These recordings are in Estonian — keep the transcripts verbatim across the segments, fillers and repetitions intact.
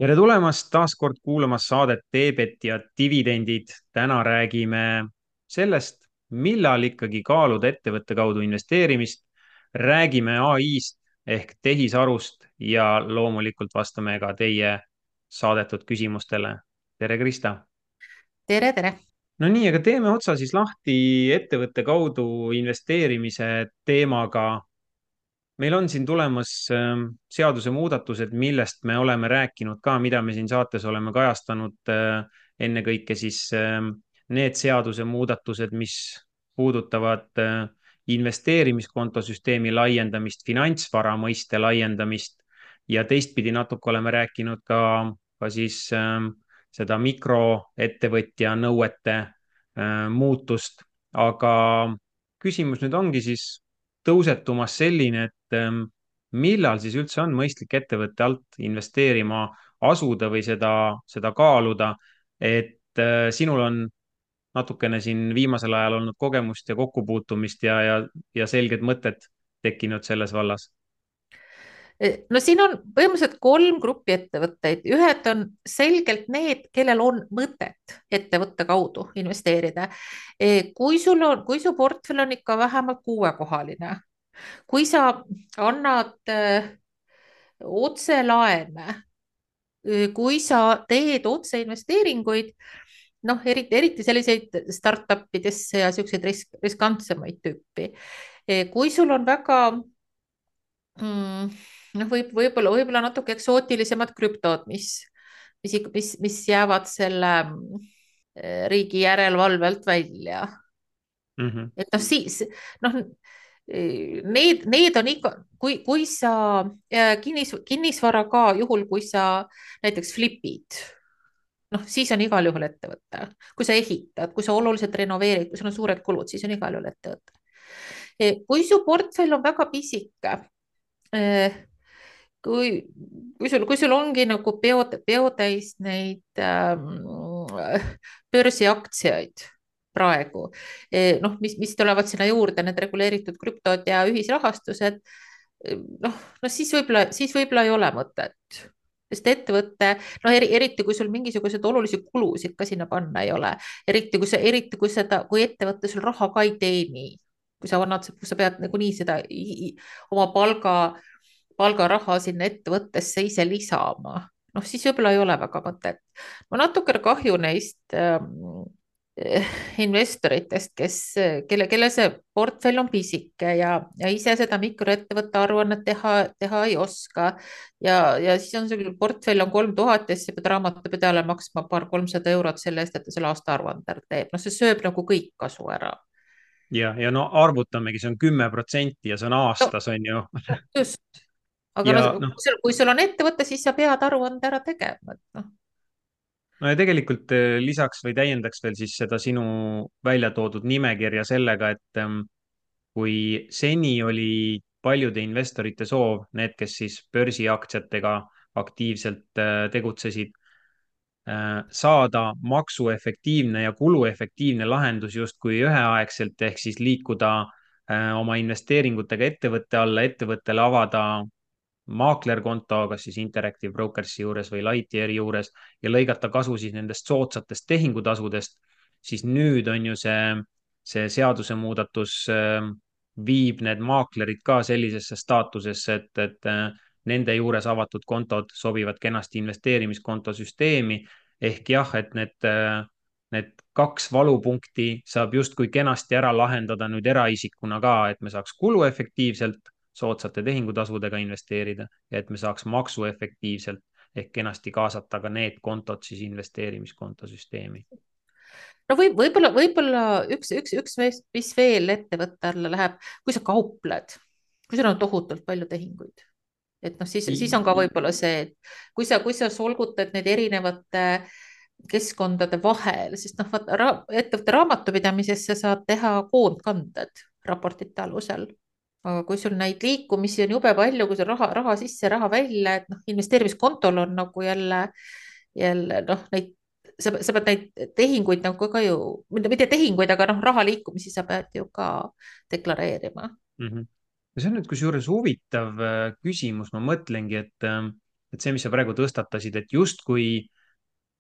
Tere tulemast taas kord kuulamas saadet Teebet ja dividendid. Täna räägime sellest, millal ikkagi kaaluda ettevõtte kaudu investeerimist. Räägime A I-st ehk tehisarust ja loomulikult vastame ka teie saadetud küsimustele. Tere, Krista! Tere, tere. No nii, aga teeme otsa siis lahti ettevõtte kaudu investeerimise teemaga. Meil on siin tulemas ähm, seadusemuudatused, millest me oleme rääkinud ka, mida me siin saates oleme kajastanud. äh, Ennekõike siis ähm, need seadusemuudatused, mis puudutavad äh, investeerimiskontosüsteemi laiendamist, finantsvara mõiste laiendamist ja teistpidi natuke oleme rääkinud ka, ka siis ähm, seda mikroettevõtja nõuete äh, muutust. Aga küsimus nüüd ongi siis tõusetumas selline, et ähm, millal siis üldse on mõistlik ettevõtte alt investeerima asuda või seda, seda kaaluda, et äh, sinul on natukene siin viimasel ajal olnud kogemust ja kokkupuutumist ja, ja, ja selged mõtted tekkinud selles vallas. No siin on põhimõtteliselt kolm gruppi ettevõtteid. Ühed on selgelt need, kellel on mõtet ettevõtte kaudu investeerida. Kui sul on, kui su portfell on ikka vähemalt kuuekohaline, kui sa annad äh, otselaene, kui sa teed otseinvesteeringuid, noh, eriti, eriti selliseid startupidesse ja selliseid risk, riskantsemaid tüüpi. Kui sul on väga mm, noh, võib, võib-olla, võib-olla natuke eksootilisemad krüptod, mis, mis, mis, mis jäävad selle mm, riigi järelevalve alt välja. Mm -hmm. Et noh, siis noh, need, need on ikka, kui, kui sa kinnis, kinnisvara ka juhul, kui sa näiteks flipid, noh, siis on igal juhul ettevõte. Kui sa ehitad, kui sa oluliselt renoveerid, kui sul on suured kulud, siis on igal juhul ettevõte. Kui su portfell on väga pisike, kui, kui sul, kui sul ongi nagu peod, peotäis neid ähm, börsiaktsiaid praegu, noh, mis, mis tulevad sinna juurde, need reguleeritud krüptod ja ühisrahastused, noh, no siis võib-olla, siis võib-olla ei ole mõtet. Sest ettevõtte, noh, eri, eriti kui sul mingisuguseid olulisi kulusid ka sinna panna ei ole, eriti kui sa, eriti kui seda, kui ettevõte sul raha ka ei teeni, kui sa annad, sa pead nagunii seda oma palga palgaraha sinna ettevõttesse ise lisama, noh siis võib-olla ei ole väga mõtet. Ma natukene kahju neist ähm, investoritest, kes, kelle, kelle see portfell on pisike ja, ja ise seda mikroettevõtte aruannet teha, teha ei oska. ja, ja siis on see portfell on kolm tuhat ja siis pead raamatupidajale maksma paar kolmsada eurot selle eest, et ta selle aasta aruande ära teeb. noh, see sööb nagu kõik kasu ära. ja, ja no arvutamegi, see on kümme protsenti ja see on no aastas, on ju. just, aga no, ja noh, kui sul, kui sul on ettevõte, siis sa pead aruande ära tegema, et noh. no ja tegelikult eh, lisaks või täiendaks veel siis seda sinu välja toodud nimekirja sellega, et ähm, kui seni oli paljude investorite soov, need, kes siis börsiaktsiatega aktiivselt äh, tegutsesid, äh, saada maksuefektiivne ja kuluefektiivne lahendus justkui üheaegselt, ehk siis liikuda äh, oma investeeringutega ettevõtte alla, ettevõttele avada maaklerkonto, kas siis Interactive Brokersi juures või Lightyeari juures ja lõigata kasu siis nendest soodsatest tehingutasudest, siis nüüd on ju see, see seadusemuudatus äh, viib need maaklerid ka sellisesse staatusesse, et, et äh, nende juures avatud kontod sobivad kenasti investeerimiskontosüsteemi. Ehk jah, et need, äh, need kaks valupunkti saab justkui kenasti ära lahendada nüüd eraisikuna ka, et me saaks kuluefektiivselt soodsate tehingutasudega investeerida ja et me saaks maksuefektiivselt ehk kenasti kaasata ka need kontod siis investeerimiskontosüsteemi. no võib, võib-olla, võib-olla üks, üks, üks, mis veel ettevõtte alla läheb, kui sa kaupled, kui sul on tohutult palju tehinguid, et noh, siis, siis on ka võib-olla see, et kui sa, kui sa solgutad need erinevate keskkondade vahel, sest noh, vaata ra, ettevõtte raamatupidamises sa saad teha koondkanded raportite alusel. aga kui sul neid liikumisi on jube palju, kui sul raha, raha sisse, raha välja, et noh, investeerimiskontol on nagu jälle, jälle noh, neid sa, sa pead neid tehinguid nagu ka ju, mitte tehinguid, aga noh, raha liikumisi sa pead ju ka deklareerima. mm. -hmm. Ja see on nüüd kusjuures huvitav äh, küsimus, ma mõtlengi, et äh, et see, mis sa praegu tõstatasid, et justkui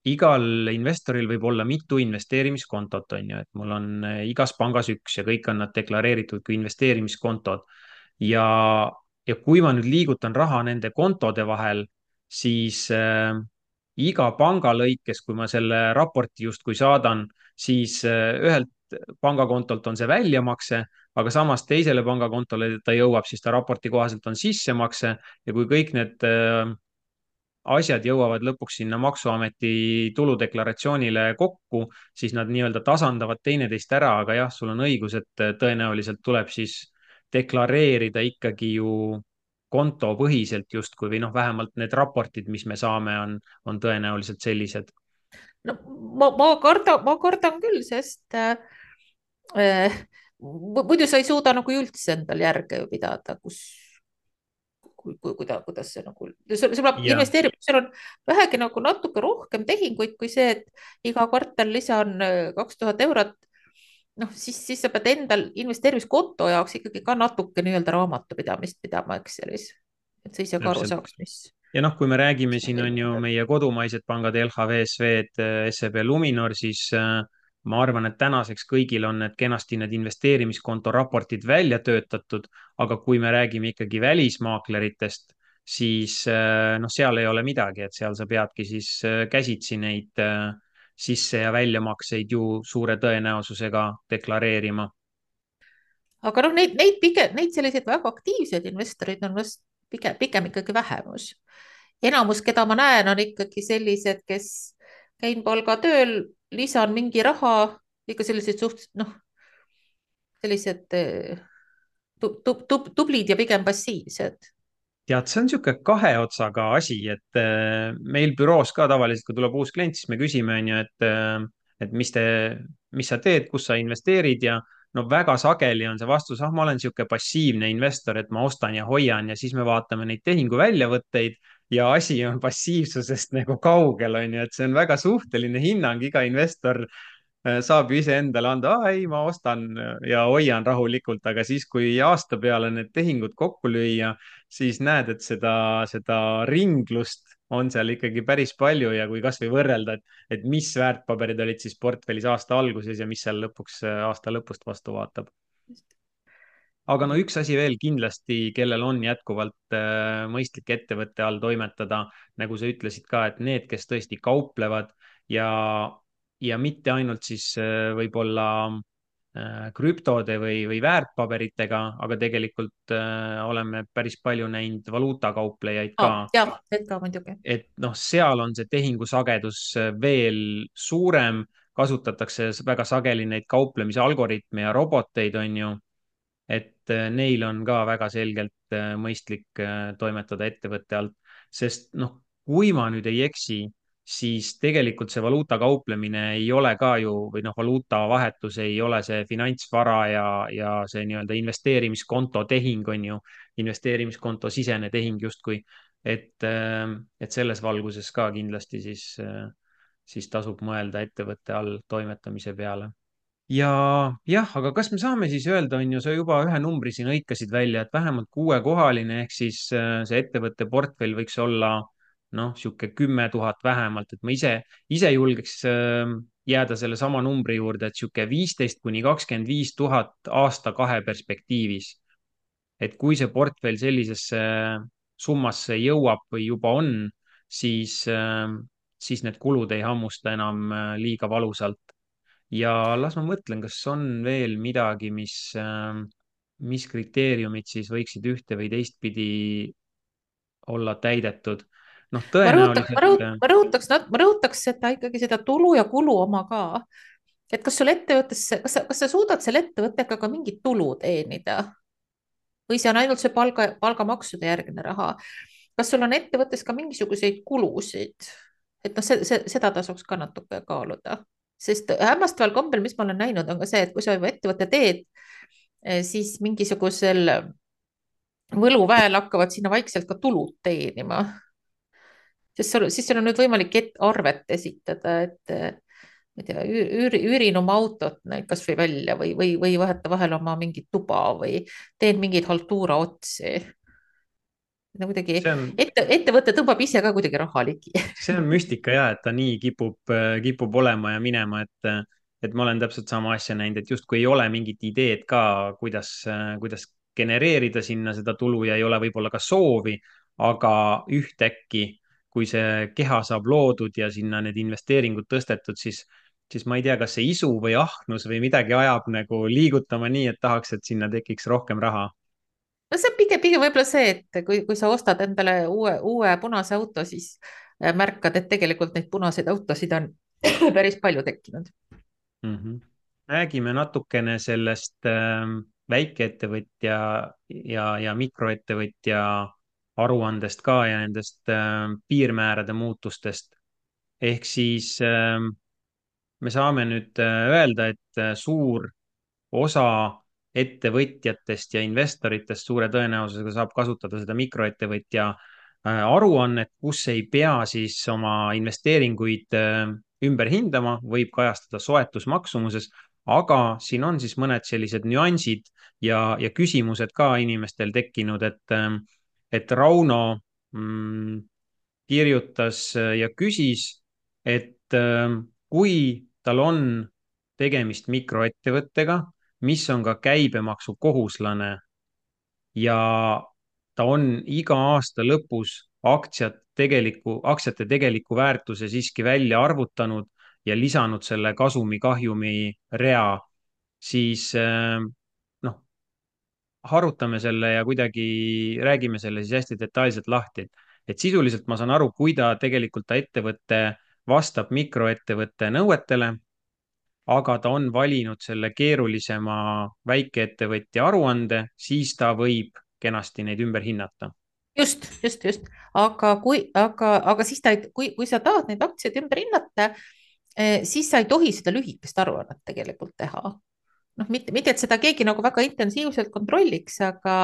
igal investoril võib olla mitu investeerimiskontot, on ju, et mul on eh, igas pangas üks ja kõik on nad deklareeritud kui investeerimiskontod. ja, ja kui ma nüüd liigutan raha nende kontode vahel, siis äh, iga panga lõikes, kui ma selle raporti justkui saadan, siis äh, ühelt pangakontolt on see väljamakse, aga samas teisele pangakontole ta jõuab, siis ta raporti kohaselt on sissemakse ja kui kõik need äh, asjad jõuavad lõpuks sinna Maksuameti tuludeklaratsioonile kokku, siis nad nii-öelda tasandavad teineteist ära, aga jah, sul on õigus, et tõenäoliselt tuleb siis deklareerida ikkagi ju kontopõhiselt justkui või noh, vähemalt need raportid, mis me saame, on, on tõenäoliselt sellised. no ma, ma kardan, ma kardan küll, sest äh, äh, muidu sa ei suuda nagu üldse endal järge ju pidada, kus kui, kui, kuida, kuidas see nagu, sul peab ja investeerima, sul on vähegi nagu natuke rohkem tehinguid kui see, et iga kvartal lisan äh, kaks tuhat eurot. noh, siis, siis sa pead endal investeerimiskonto jaoks ikkagi ka natuke nii-öelda raamatupidamist pidama Excelis, et sa ise ka aru täpselt. saaks, mis, ja noh, kui me räägime, mis siin on ju toimub. meie kodumaised pangad L H V, Swed, S E B, Luminor, siis äh, ma arvan, et tänaseks kõigil on need kenasti need investeerimiskonto raportid välja töötatud, aga kui me räägime ikkagi välismaakleritest, siis äh, noh, seal ei ole midagi, et seal sa peadki siis äh, käsitsi neid äh, sisse- ja väljamakseid ju suure tõenäosusega deklareerima. aga noh, neid, neid pigem, neid selliseid väga aktiivseid investoreid on vast pigem, pigem ikkagi vähemus. Enamus, keda ma näen, on ikkagi sellised, kes käin palgatööl, lisan mingi raha, ikka sellised suht, noh, sellised eh, tu, tu, tu, tublid ja pigem passiivsed. tead, see on niisugune kahe otsaga asi, et äh, meil büroos ka tavaliselt, kui tuleb uus klient, siis me küsime, on ju, et, äh, et mis te, mis sa teed, kus sa investeerid ja no väga sageli on see vastus, ah, ma olen niisugune passiivne investor, et ma ostan ja hoian ja siis me vaatame neid tehinguväljavõtteid ja asi on passiivsusest nagu kaugel, on ju, et see on väga suhteline hinnang, iga investor äh, saab ju iseendale anda, aa ei, ma ostan ja hoian rahulikult, aga siis, kui aasta peale need tehingud kokku lüüa, siis näed, et seda, seda ringlust on seal ikkagi päris palju ja kui kasvõi võrrelda, et, et mis väärtpaberid olid siis portfellis aasta alguses ja mis seal lõpuks aasta lõpust vastu vaatab. aga no üks asi veel kindlasti, kellel on jätkuvalt äh, mõistlik ettevõtte all toimetada, nagu sa ütlesid ka, et need, kes tõesti kauplevad ja, ja mitte ainult siis äh, võib-olla äh, krüptode või, või väärtpaberitega, aga tegelikult äh, oleme päris palju näinud valuutakauplejaid ka, Ah, jah, need ka muidugi. et noh, seal on see tehingusagedus äh, veel suurem, kasutatakse väga sageli neid kauplemise algoritme ja roboteid, on ju, et äh, neil on ka väga selgelt äh, mõistlik äh, toimetada ettevõtte alt, sest noh, kui ma nüüd ei eksi, siis tegelikult see valuuta kauplemine ei ole ka ju, või noh, valuutavahetus ei ole see finantsvara ja, ja see nii-öelda investeerimiskonto tehing on ju, investeerimiskonto sisene tehing justkui, et, äh, et selles valguses ka kindlasti siis, äh, siis tasub mõelda ettevõtte all toimetamise peale ja jah, aga kas me saame siis öelda, on ju, sa juba ühe numbri siin hõikasid välja, et vähemalt kuuekohaline ehk siis äh, see ettevõtte portfell võiks olla noh, niisugune kümme tuhat vähemalt, et ma ise, ise julgeks äh, jääda sellesama numbri juurde, et niisugune viisteist kuni kakskümmend viis tuhat aasta kahe perspektiivis. et kui see portfell sellisesse summasse jõuab või juba on, siis, äh, siis need kulud ei hammusta enam äh, liiga valusalt ja las ma mõtlen, kas on veel midagi, mis, mis kriteeriumid siis võiksid ühte või teistpidi olla täidetud. noh, ma rõhutaks, ma tõenäoliselt rõhut-, ma rõhutaks, ma rõhutaks seda ikkagi seda tulu ja kulu oma ka. et kas sul ettevõttes, kas sa, kas sa suudad selle ettevõttega ka mingit tulu teenida või see on ainult see palga, palgamaksude järgne raha? kas sul on ettevõttes ka mingisuguseid kulusid? et noh, see, see, seda tasuks ka natuke kaaluda, sest hämmastaval kombel, mis ma olen näinud, on ka see, et kui sa juba ettevõtte teed, siis mingisugusel võluväel hakkavad sinna vaikselt ka tulud teenima, sest sul, siis sul on nüüd võimalik et, arvet esitada, et ma ei tea, üüri, üürin oma autot kasvõi välja või, või, või vaheta vahel oma mingit tuba või teen mingeid haltuura otsi. no kuidagi see on, ette, ettevõte tõmbab ise ka kuidagi raha ligi. see on müstika ja, et ta nii kipub, kipub olema ja minema, et, et ma olen täpselt sama asja näinud, et justkui ei ole mingit ideed ka, kuidas, kuidas genereerida sinna seda tulu ja ei ole võib-olla ka soovi, aga ühtäkki, kui see keha saab loodud ja sinna need investeeringud tõstetud, siis, siis ma ei tea, kas see isu või ahnus või midagi ajab nagu liigutama nii, et tahaks, et sinna tekiks rohkem raha. no see on pigem, pigem võib-olla see, et kui, kui sa ostad endale uue, uue punase auto, siis äh, märkad, et tegelikult neid punaseid autosid on päris palju tekkinud. mm. -hmm. räägime natukene sellest äh, väikeettevõtja ja, ja mikroettevõtja aruandest ka ja nendest äh, piirmäärade muutustest. ehk siis äh, me saame nüüd äh, öelda, et äh, suur osa ettevõtjatest ja investoritest suure tõenäosusega saab kasutada seda mikroettevõtja äh, aruannet, kus ei pea siis oma investeeringuid äh, ümber hindama, võib kajastada soetusmaksumuses, aga siin on siis mõned sellised nüansid ja, ja küsimused ka inimestel tekkinud, et, äh, et Rauno mm, kirjutas ja küsis, et kui tal on tegemist mikroettevõttega, mis on ka käibemaksukohuslane ja ta on iga aasta lõpus aktsiat tegeliku, aktsiate tegeliku väärtuse siiski välja arvutanud ja lisanud selle kasumi-kahjumi rea, siis noh, harutame selle ja kuidagi räägime selle siis hästi detailselt lahti, et, et sisuliselt ma saan aru, kui ta tegelikult, ta ettevõte vastab mikroettevõtte nõuetele, aga ta on valinud selle keerulisema väikeettevõtja aruande, siis ta võib kenasti neid ümber hinnata. just, just, just, aga kui, aga, aga siis ta, kui, kui sa tahad neid aktsiaid ümber hinnata, siis sa ei tohi seda lühikest aruannet tegelikult teha. noh, mitte, mitte, et seda keegi nagu väga intensiivselt kontrolliks, aga,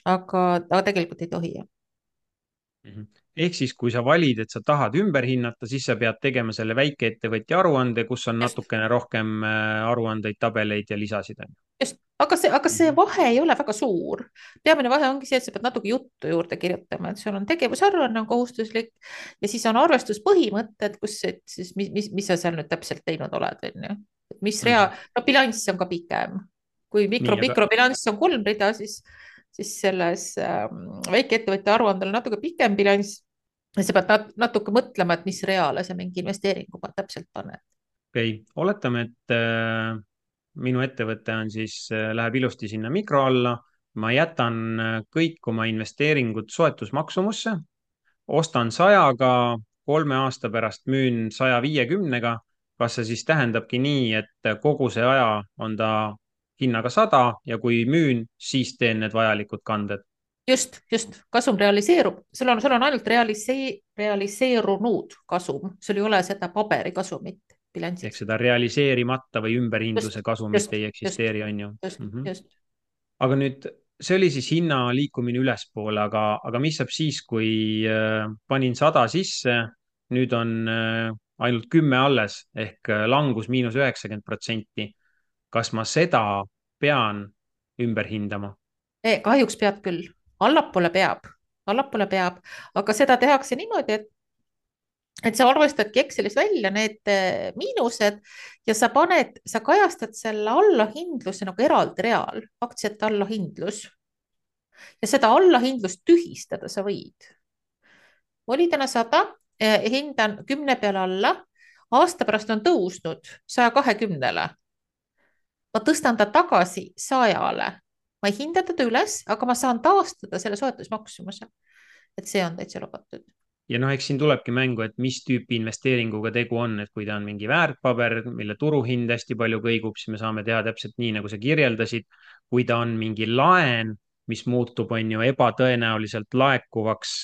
aga, aga tegelikult ei tohi, jah. ehk siis, kui sa valid, et sa tahad ümber hinnata, siis sa pead tegema selle väikeettevõtja aruande, kus on just, natukene rohkem aruandeid, tabeleid ja lisasid. just, aga see, aga see vahe ei ole väga suur. peamine vahe ongi see, et sa pead natuke juttu juurde kirjutama, et sul on tegevusaruanne on kohustuslik ja siis on arvestuspõhimõtted, kus, et siis mis, mis, mis sa seal nüüd täpselt teinud oled, on ju. mis rea, no bilanss on ka pikem. kui mikro, nii, aga mikrobilanss on kolm rida, siis, siis selles ähm, väikeettevõtja aruandel on natuke pikem bilanss. ja sa pead nat natuke mõtlema, et mis reale sa mingi investeeringuga täpselt paned. okei okay., oletame, et äh, minu ettevõte on siis äh,, läheb ilusti sinna mikro alla, ma jätan äh, kõik oma investeeringud soetusmaksumusse, ostan sajaga, kolme aasta pärast müün saja viiekümnega. kas see siis tähendabki nii, et kogu see aja on ta hinnaga sada ja kui müün, siis teen need vajalikud kanded? just, just, kasum realiseerub, sul on, sul on ainult realisee, realiseerunud kasum, sul ei ole seda paberikasumit ehk bilansis. seda realiseerimata või just, ümberhindluse kasumit just, ei just, eksisteeri, on ju just, mm. -hmm. just. aga nüüd see oli siis hinna liikumine ülespoole, aga, aga mis saab siis, kui äh, panin sada sisse, nüüd on äh, ainult kümme alles ehk äh, langus miinus üheksakümmend protsenti. kas ma seda pean ümber hindama? kahjuks pead küll, allapoole peab, allapoole peab, aga seda tehakse niimoodi, et et sa arvestadki Excelis välja need eh, miinused ja sa paned, sa kajastad selle allahindluse nagu eraldi real, aktsiate allahindlus. ja seda allahindlust tühistada sa võid. oli täna sada, hind on kümne peale alla, aasta pärast on tõusnud saja kahekümnele. ma tõstan ta tagasi sajale, ma ei hinda teda üles, aga ma saan taastada selle soetusmaksumuse. et see on täitsa lubatud. ja noh, eks siin tulebki mängu, et mis tüüpi investeeringuga tegu on, et kui ta on mingi väärtpaber, mille turuhind hästi palju kõigub, siis me saame teha täpselt nii, nagu sa kirjeldasid. kui ta on mingi laen, mis muutub, on ju, ebatõenäoliselt laekuvaks,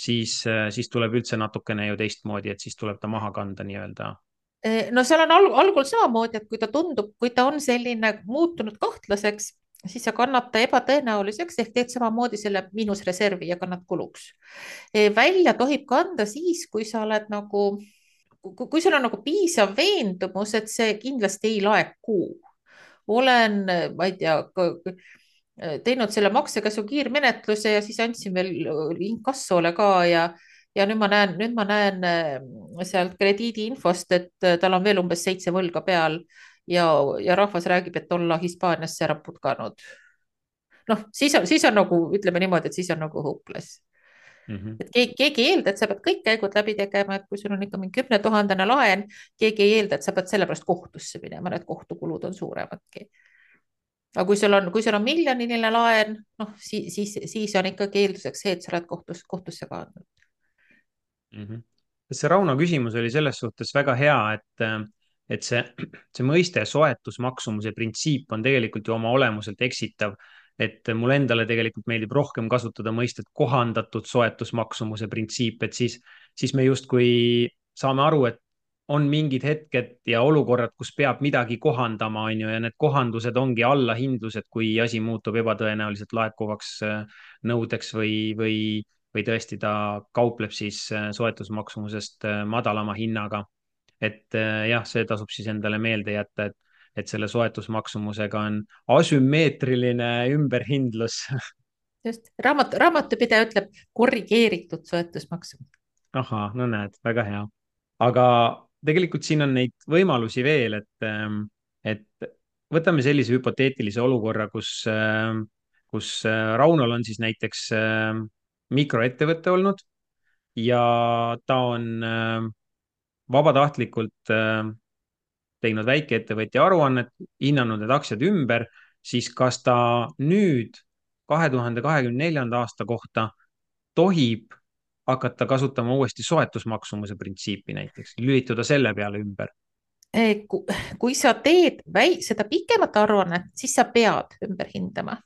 siis, siis tuleb üldse natukene ju teistmoodi, et siis tuleb ta maha kanda nii-öelda. no seal on al algul samamoodi, et kui ta tundub, kui ta on selline muutunud kahtlaseks, siis sa kannad ta ebatõenäoliseks ehk teed samamoodi selle miinusreservi ja kannad kuluks. välja tohib kanda siis, kui sa oled nagu, kui sul on nagu piisav veendumus, et see kindlasti ei laeku. olen, ma ei tea, teinud selle maksekäsu kiirmenetluse ja siis andsin veel inkassole ka ja ja nüüd ma näen, nüüd ma näen sealt krediidiinfost, et tal on veel umbes seitse võlga peal ja, ja rahvas räägib, et olla Hispaaniasse ära putkanud. noh, siis on, siis on nagu, ütleme niimoodi, et siis on nagu hopeless. mm. -hmm. et keegi, keegi ei eelda, et sa pead kõik käigud läbi tegema, et kui sul on ikka mingi kümnetuhandene laen, keegi ei eelda, et sa pead sellepärast kohtusse minema, need kohtukulud on suuremadki. aga kui sul on, kui sul on miljoniline laen, noh, siis, siis, siis on ikkagi eelduseks see, et sa oled kohtus, kohtusse ka andnud. Mm -hmm. see Rauno küsimus oli selles suhtes väga hea, et, et see, see mõiste soetusmaksumuse printsiip on tegelikult ju oma olemuselt eksitav. Et mulle endale tegelikult meeldib rohkem kasutada mõistet kohandatud soetusmaksumuse printsiip, et siis, siis me justkui saame aru, et on mingid hetked ja olukorrad, kus peab midagi kohandama, on ju, ja need kohandused ongi allahindlused, kui asi muutub ebatõenäoliselt laekuvaks nõudeks või, või või tõesti ta kaupleb siis soetusmaksumusest madalama hinnaga. et jah, see tasub siis endale meelde jätta, et, et selle soetusmaksumusega on asümmeetriline ümberhindlus. just, raamat, raamatupidaja ütleb korrigeeritud soetusmaksumus. ahhaa, no näed, väga hea. aga tegelikult siin on neid võimalusi veel, et, et võtame sellise hüpoteetilise olukorra, kus, kus Raunol on siis näiteks mikroettevõte olnud ja ta on vabatahtlikult teinud väikeettevõtja aruannet, hinnanud need aktsiad ümber, siis kas ta nüüd kahe tuhande kahekümne neljanda aasta kohta tohib hakata kasutama uuesti soetusmaksumuse printsiipi näiteks, lülituda selle peale ümber? kui sa teed väi, seda pikemat aruannet, siis sa pead ümber hindama.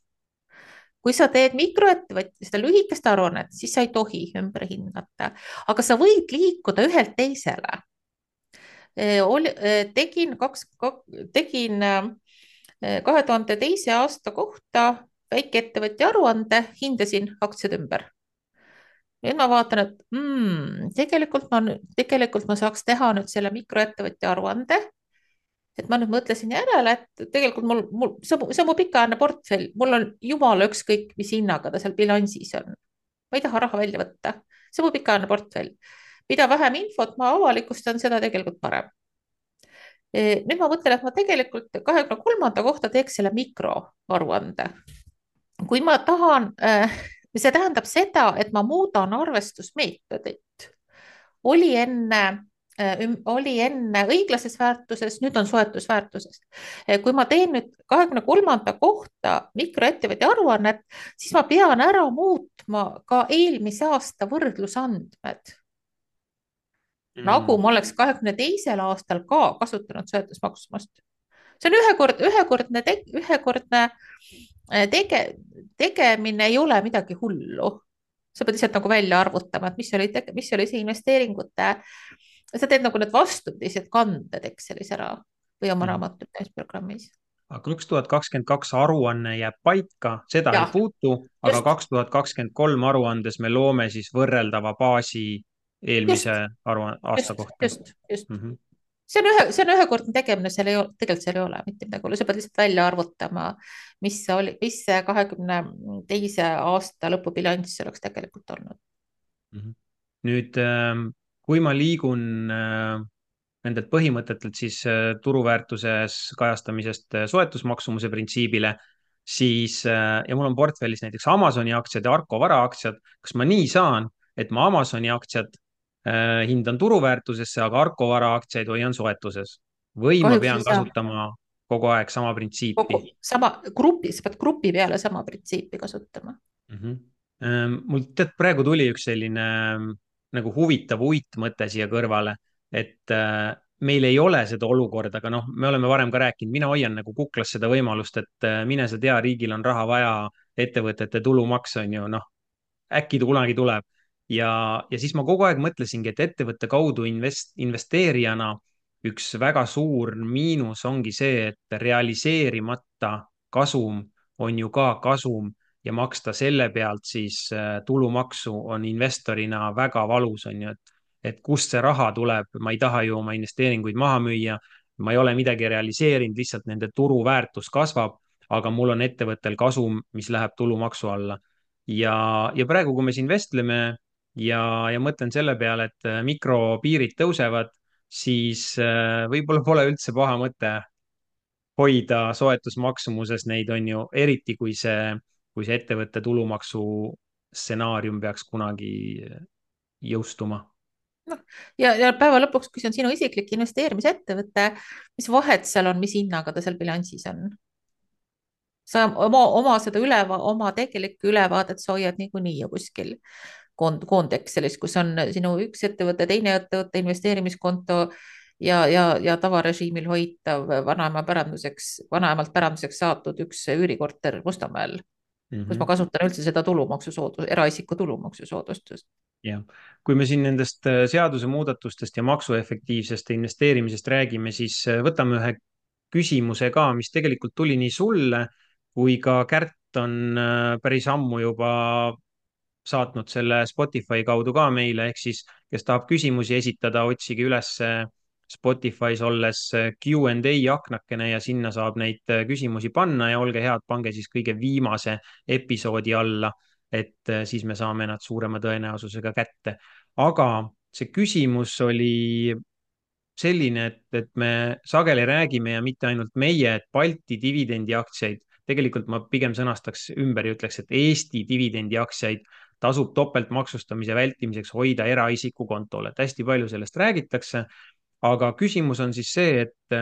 kui sa teed mikroettevõtja, seda lühikest aruannet, siis sa ei tohi ümber hinnata, aga sa võid liikuda ühelt teisele. Oli, tegin kaks, tegin kahe tuhande teise aasta kohta väikeettevõtja aruande, hindasin aktsiad ümber. nüüd ma vaatan, et mm, tegelikult ma, tegelikult ma saaks teha nüüd selle mikroettevõtja aruande. et ma nüüd mõtlesin järele, et tegelikult mul, mul, see on, see on mu pikaajaline portfell, mul on jumala ükskõik, mis hinnaga ta seal bilansis on. ma ei taha raha välja võtta, see on mu pikaajaline portfell. mida vähem infot ma avalikustan, seda tegelikult parem. nüüd ma mõtlen, et ma tegelikult kahekümne kolmanda kohta teeks selle mikroaruande. kui ma tahan, see tähendab seda, et ma muudan arvestusmeetodit. oli enne oli enne õiglases väärtuses, nüüd on soetusväärtuses. kui ma teen nüüd kahekümne kolmanda kohta mikroettevõtja aruannet, siis ma pean ära muutma ka eelmise aasta võrdlusandmed. Mm. nagu ma oleks kahekümne teisel aastal ka kasutanud soetusmaksumust. see on ühekord, ühekordne, ühekordne tege, tegemine ei ole midagi hullu. sa pead lihtsalt nagu välja arvutama, et mis oli, mis oli see investeeringute sa teed nagu need vastupidised kanded Excelis ära või oma raamatupidamisprogrammis. aga kaks tuhat kakskümmend kaks aruanne jääb paika, seda ja, ei puutu, aga kaks tuhat kakskümmend kolm aruandes me loome siis võrreldava baasi eelmise aruanne, aasta just, kohta. just, just. Mm -hmm. see on ühe, see on ühekordne tegemine, seal ei ole, tegelikult seal ei ole mitte midagi, sa pead lihtsalt välja arvutama, mis see oli, mis see kahekümne teise aasta lõpubilanss oleks tegelikult olnud. Mm -hmm. nüüd ähm, kui ma liigun äh, nendelt põhimõtetelt siis äh, turuväärtuses kajastamisest äh, soetusmaksumuse printsiibile, siis äh, ja mul on portfellis näiteks Amazoni aktsiad ja Arko varaaktsiad, kas ma nii saan, et ma Amazoni aktsiad äh, hindan turuväärtusesse, aga Arko varaaktsiaid hoian soetuses või Kahjuks ma pean kasutama kogu aeg sama printsiipi? sama grupi, sa pead grupi peale sama printsiipi kasutama. Mm -hmm. ähm, mul tead, praegu tuli üks selline nagu huvitav uitmõte siia kõrvale, et äh, meil ei ole seda olukorda, aga noh, me oleme varem ka rääkinud, mina hoian nagu kuklas seda võimalust, et äh, mine sa tea, riigil on raha vaja, ettevõtete tulumaks on ju, noh, äkki kunagi tuleb. ja, ja siis ma kogu aeg mõtlesingi, et ettevõtte kaudu invest, investeerijana üks väga suur miinus ongi see, et realiseerimata kasum on ju ka kasum ja maksta selle pealt siis tulumaksu on investorina väga valus, on ju, et, et kust see raha tuleb, ma ei taha ju oma investeeringuid maha müüa, ma ei ole midagi realiseerinud, lihtsalt nende turuväärtus kasvab, aga mul on ettevõttel kasum, mis läheb tulumaksu alla. ja, ja praegu, kui me siin vestleme ja, ja mõtlen selle peale, et äh, mikropiirid tõusevad, siis äh, võib-olla pole üldse paha mõte hoida soetusmaksumuses neid, on ju, eriti kui see, kui see ettevõtte tulumaksu stsenaarium peaks kunagi jõustuma. noh, ja, ja päeva lõpuks, kui see on sinu isiklik investeerimisettevõte, mis vahet seal on, mis hinnaga ta seal bilansis on? sa oma, oma seda üleva, oma tegelikku ülevaadet sa hoiad niikuinii ju kuskil kond, koondexcelis, kus on sinu üks ettevõte, teine ettevõte, investeerimiskonto ja, ja, ja tavarežiimil hoitav vanaema päranduseks, vanaemalt päranduseks saadud üks üürikorter Mustamäel, mm. kus ma -hmm. kasutan üldse seda tulumaksusoodust, eraisiku tulumaksusoodustust. jah, kui me siin nendest äh, seadusemuudatustest ja maksuefektiivsest investeerimisest räägime, siis äh, võtame ühe küsimuse ka, mis tegelikult tuli nii sulle kui ka Kärt on äh, päris ammu juba saatnud selle Spotify kaudu ka meile, ehk siis kes tahab küsimusi esitada, otsige üles Spotify's olles Q and A aknakene ja sinna saab neid küsimusi panna ja olge head, pange siis kõige viimase episoodi alla, et siis me saame nad suurema tõenäosusega kätte. aga see küsimus oli selline, et, et me sageli räägime ja mitte ainult meie, et Balti dividendiaktsiaid, tegelikult ma pigem sõnastaks ümber ja ütleks, et Eesti dividendiaktsiaid tasub topeltmaksustamise vältimiseks hoida eraisiku kontol, et hästi palju sellest räägitakse. aga küsimus on siis see, et,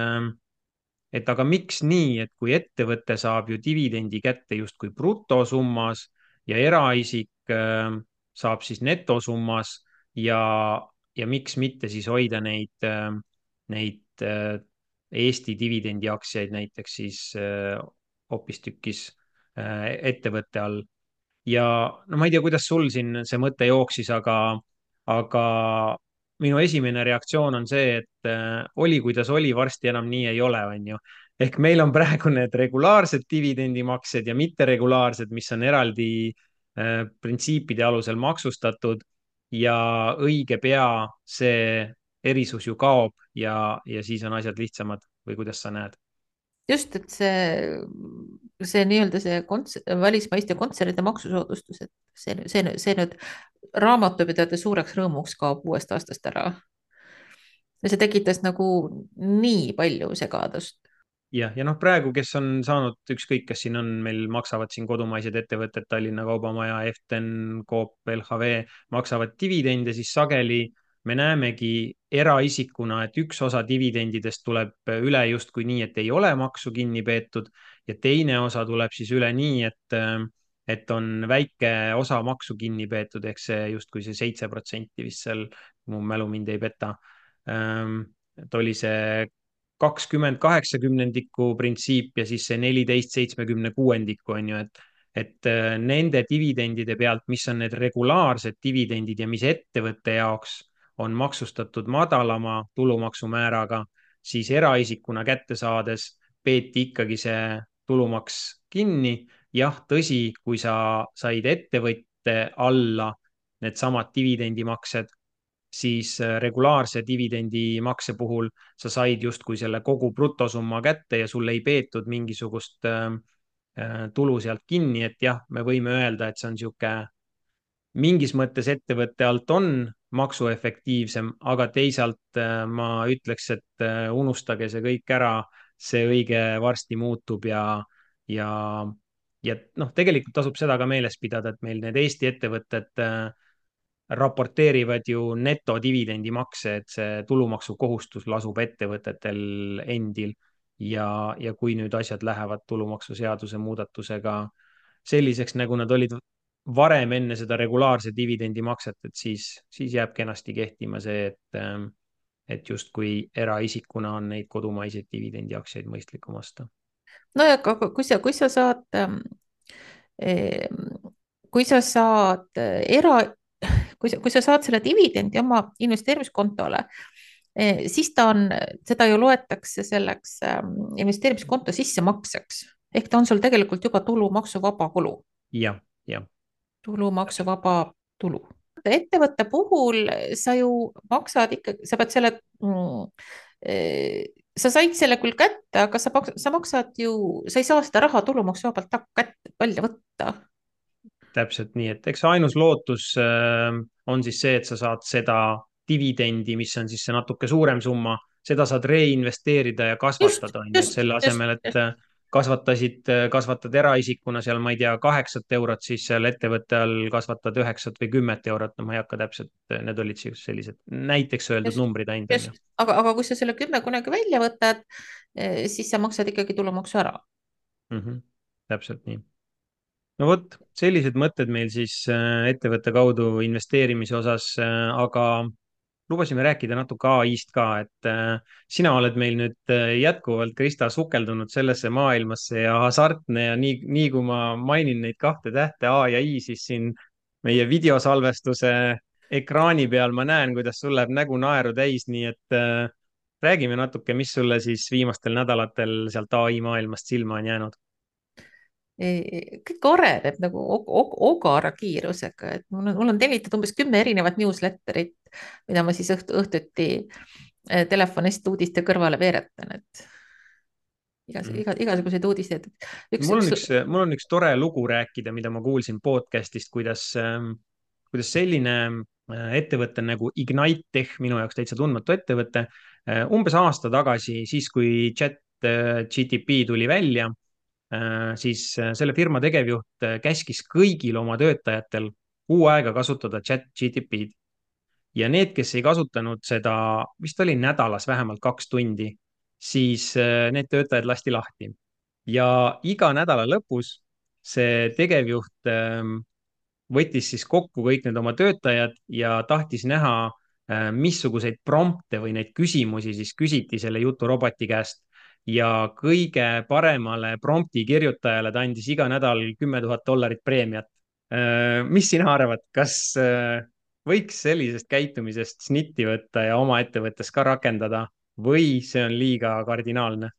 et aga miks nii, et kui ettevõte saab ju dividendi kätte justkui brutosummas ja eraisik äh, saab siis netosummas ja, ja miks mitte siis hoida neid äh, neid äh, Eesti dividendiaktsiaid näiteks siis äh, hoopistükkis äh, ettevõtte all. ja no ma ei tea, kuidas sul siin see mõte jooksis, aga, aga minu esimene reaktsioon on see, et äh, oli, kuidas oli, varsti enam nii ei ole, on ju. ehk meil on praegu need regulaarsed dividendimaksed ja mitteregulaarsed, mis on eraldi äh, printsiipide alusel maksustatud ja õige pea see erisus ju kaob ja, ja siis on asjad lihtsamad või kuidas sa näed? just, et see, see nii-öelda see konts-, välismaiste kontsernide maksusoodustus, et see, see, see nüüd raamatupidajate suureks rõõmuks kaob uuest aastast ära. ja see tekitas nagu nii palju segadust. jah, ja noh, praegu, kes on saanud, ükskõik, kes siin on, meil maksavad siin kodumaised ettevõtted, Tallinna Kaubamaja, Eften, Coop, L H V maksavad dividende, siis sageli me näemegi eraisikuna, et üks osa dividendidest tuleb üle justkui nii, et ei ole maksu kinni peetud ja teine osa tuleb siis üle nii, et, et on väike osa maksu kinni peetud, ehk see justkui see seitse protsenti vist seal, mu mälu mind ei peta. et oli see kakskümmend kaheksakümnendikku printsiip ja siis see neliteist seitsmekümne kuuendikku on ju, et, et nende dividendide pealt, mis on need regulaarsed dividendid ja mis ettevõtte jaoks on maksustatud madalama tulumaksumääraga, siis eraisikuna kätte saades peeti ikkagi see tulumaks kinni. jah, tõsi, kui sa said ettevõtte alla needsamad dividendimaksed, siis regulaarse dividendimakse puhul sa said justkui selle kogu brutosumma kätte ja sul ei peetud mingisugust äh, tulu sealt kinni, et jah, me võime öelda, et see on niisugune mingis mõttes ettevõtte alt on maksuefektiivsem, aga teisalt äh, ma ütleks, et äh, unustage see kõik ära, see õige varsti muutub ja, ja, ja noh, tegelikult tasub seda ka meeles pidada, et meil need Eesti ettevõtted äh, raporteerivad ju netodividendimakse, et see tulumaksukohustus lasub ettevõtetel endil ja, ja kui nüüd asjad lähevad tulumaksuseaduse muudatusega selliseks, nagu nad olid varem enne seda regulaarse dividendimakset, et siis, siis jääb kenasti kehtima see, et, et justkui eraisikuna on neid kodumaiseid dividendiaktsiaid mõistlikum osta. no aga kui sa, kui sa saad, kui sa saad era, kui sa, kui sa saad selle dividendi oma investeerimiskontole, siis ta on, seda ju loetakse selleks investeerimiskonto sissemakseks ehk ta on sul tegelikult juba tulumaksuvaba kulu. jah, jah. tulumaksuvaba tulu. ettevõtte puhul sa ju maksad ikkagi, sa pead selle sa said selle küll kätte, aga sa, sa maksad ju, sa ei saa seda raha tulumaksuvabalt kätte välja võtta. Täpselt nii, et eks ainus lootus äh, on siis see, et sa saad seda dividendi, mis on siis see natuke suurem summa, seda saad reinvesteerida ja just, kasvatada, on ju, et just, selle just, asemel, et just. äh, kasvatasid, kasvatad eraisikuna seal, ma ei tea, kaheksat eurot, siis seal ettevõtte all kasvatad üheksat või kümmet eurot, no ma ei hakka täpselt, need olid siis sellised näiteks öeldud just, numbrid ainult, on ju. just, aga, aga kui sa selle kümme kunagi välja võtad, siis sa maksad ikkagi tulumaksu ära. Mm -hmm. Täpselt nii. No vot, sellised mõtted meil siis äh, ettevõtte kaudu investeerimise osas, äh, aga lubasime rääkida natuke A I-st ka, et äh, sina oled meil nüüd äh, jätkuvalt, Krista, sukeldunud sellesse maailmasse ja hasartne ja nii, nii kui ma mainin neid kahte tähte A ja I, siis siin meie videosalvestuse ekraani peal ma näen, kuidas sul läheb nägu naeru täis, nii et äh, räägime natuke, mis sulle siis viimastel nädalatel sealt A I maailmast silma on jäänud. Kõik areneb nagu ogara kiirusega, et mul on, mul on tellitud umbes kümme erinevat newsletterit, mida ma siis õhtu, õhtuti telefonist uudiste kõrvale veeretan, et igas, Mhm. iga, igasuguseid uudiseid. üks, mul on üks. üks, mul on üks tore lugu rääkida, mida ma kuulsin podcast'ist, kuidas, kuidas selline äh, ettevõte nagu Ignite Tech, minu jaoks täitsa tundmatu ettevõte, äh, umbes aasta tagasi, siis kui chat äh, G T P tuli välja, äh, siis äh, selle firma tegevjuht äh, käskis kõigil oma töötajatel kuu aega kasutada chat G T P-d. Ja need, kes ei kasutanud seda, vist oli nädalas vähemalt kaks tundi, siis äh, need töötajad lasti lahti. Ja iga nädala lõpus see tegevjuht ähm, võttis siis kokku kõik need oma töötajad ja tahtis näha, äh, missuguseid prompte või neid küsimusi siis küsiti selle juturoboti käest. Ja kõige paremale prompti kirjutajale ta andis iga nädal kümme tuhat dollarit preemiat. Äh, mis sina arvad, kas äh, võiks sellisest käitumisest snitti võtta ja oma ettevõttes ka rakendada või see on liiga kardinaalne?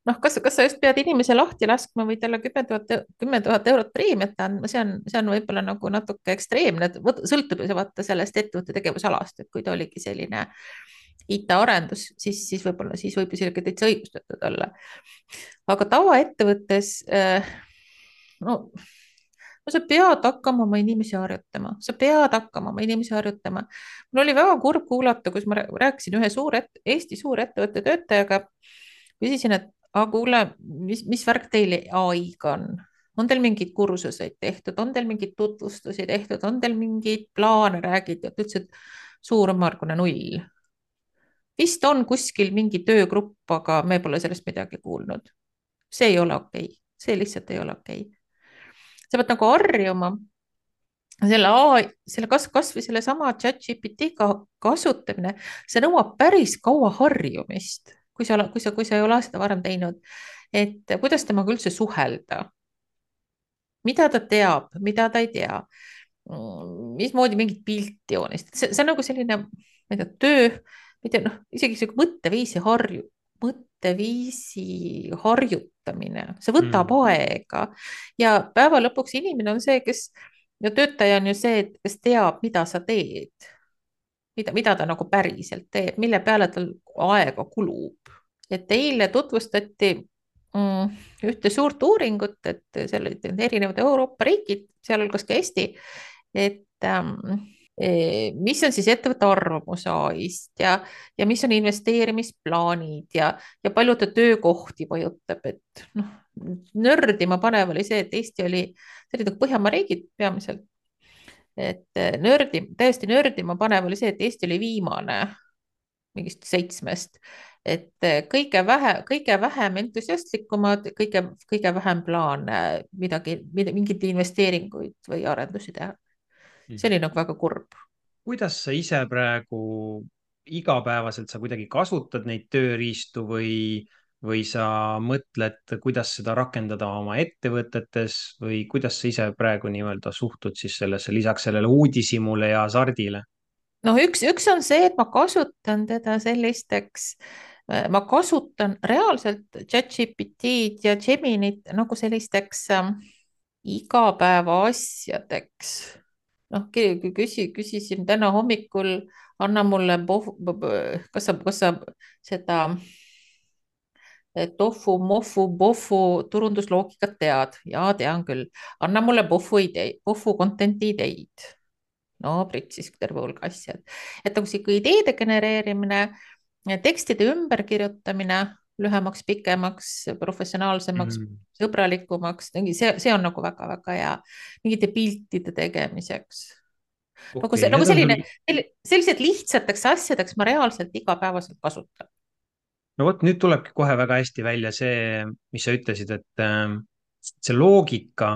Noh, kas, kas sa just pead inimese lahti laskma või talle kümme tuhat, kümme tuhat eurot preemiat andma, see on, see on võib-olla nagu natuke ekstreemne, sõltub ju vaata sellest ettevõtte tegevusalast, et kui ta oligi selline I T-arendus, siis, siis võib-olla siis võib ju sellega täitsa õigustatud olla. aga tavaettevõttes äh, no, no sa pead hakkama oma inimesi harjutama, sa pead hakkama oma inimesi harjutama. mul oli väga kurb kuulata, kus ma rääkisin ühe suure Eesti suurettevõtte töötajaga, küsisin, et aga kuule, mis, mis värk teil A I-ga on? On teil mingeid kursuseid tehtud, on teil mingeid tutvustusi tehtud, on teil mingeid plaane räägitud? ta ütles, et suur ümmargune null. vist on kuskil mingi töögrupp, aga me pole sellest midagi kuulnud. see ei ole okei okay., see lihtsalt ei ole okei okay. sa pead nagu harjuma selle A I, selle kas, kasvõi sellesama ChatGPT kasutamine, see nõuab päris kaua harjumist, kui sa, kui sa, kui sa ei ole seda varem teinud, et kuidas temaga üldse suhelda, mida ta teab, mida ta ei tea, mismoodi mingit pilti joonistada, see, see on nagu selline, ma ei tea, töö, ma ei tea, noh, isegi sihuke mõtteviisi harju, mõtteviisi harjutamine, see võtab Mm. aega ja päeva lõpuks inimene on see, kes ja töötaja on ju see, kes teab, mida sa teed, mida, mida ta nagu päriselt teeb, mille peale tal aega kulub. et eile tutvustati mm, ühte suurt uuringut, et seal olid erinevad Euroopa riigid, sealhulgas ka Eesti, et ähm, mis on siis ettevõtte arvamus A I-st ja, ja mis on investeerimisplaanid ja, ja palju ta töökohti mõjutab, et noh, nördima panev oli see, et Eesti oli, see oli nagu Põhjamaa riigid peamiselt, et nördi, täiesti nördima panev oli see, et Eesti oli viimane mingist seitsmest, et kõige vähe, kõige vähem entusiastlikumad, kõige, kõige vähem plaane midagi, mingeid investeeringuid või arendusi teha. see oli nagu väga kurb. Kuidas sa ise praegu igapäevaselt sa kuidagi kasutad neid tööriistu või, või sa mõtled, kuidas seda rakendada oma ettevõtetes või kuidas sa ise praegu nii-öelda suhtud siis sellesse, lisaks sellele uudishimule ja hasardile? noh, üks, üks on see, et ma kasutan teda sellisteks, ma kasutan reaalselt ChatGPT-d ja Geminit nagu sellisteks äh, igapäeva asjadeks. noh, küsi, küsisin täna hommikul anna mulle, kas sa, kas sa seda tofu, mofu, bofu turundusloogikat tead? Jaa, tean küll. Anna mulle bofu ideid, bofu content'i ideid. No, pritsis terve hulga asjad. Et nagu sihuke ideede genereerimine, tekstide ümberkirjutamine lühemaks, pikemaks, professionaalsemaks, mm. sõbralikumaks, see, see on nagu väga-väga hea mingite piltide tegemiseks. okei nagu, see, okay,, nagu need on selline, sul. sellised lihtsateks asjadeks ma reaalselt igapäevaselt kasutan. No vot, nüüd tulebki kohe väga hästi välja see, mis sa ütlesid, et äh, see loogika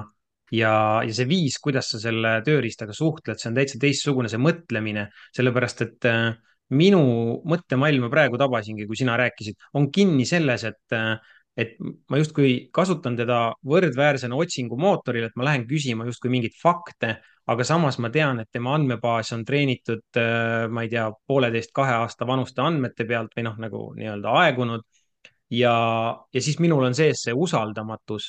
ja, ja see viis, kuidas sa selle tööriistaga suhtled, see on täitsa teistsugune, see mõtlemine, sellepärast et äh, minu mõttemaailma praegu tabasingi, kui sina rääkisid, on kinni selles, et äh, et ma justkui kasutan teda võrdväärsena otsingumootoril, et ma lähen küsima justkui mingeid fakte, aga samas ma tean, et tema andmebaas on treenitud, ma ei tea, pooleteist, kahe aasta vanuste andmete pealt või noh, nagu nii-öelda aegunud. ja, ja siis minul on sees see usaldamatus,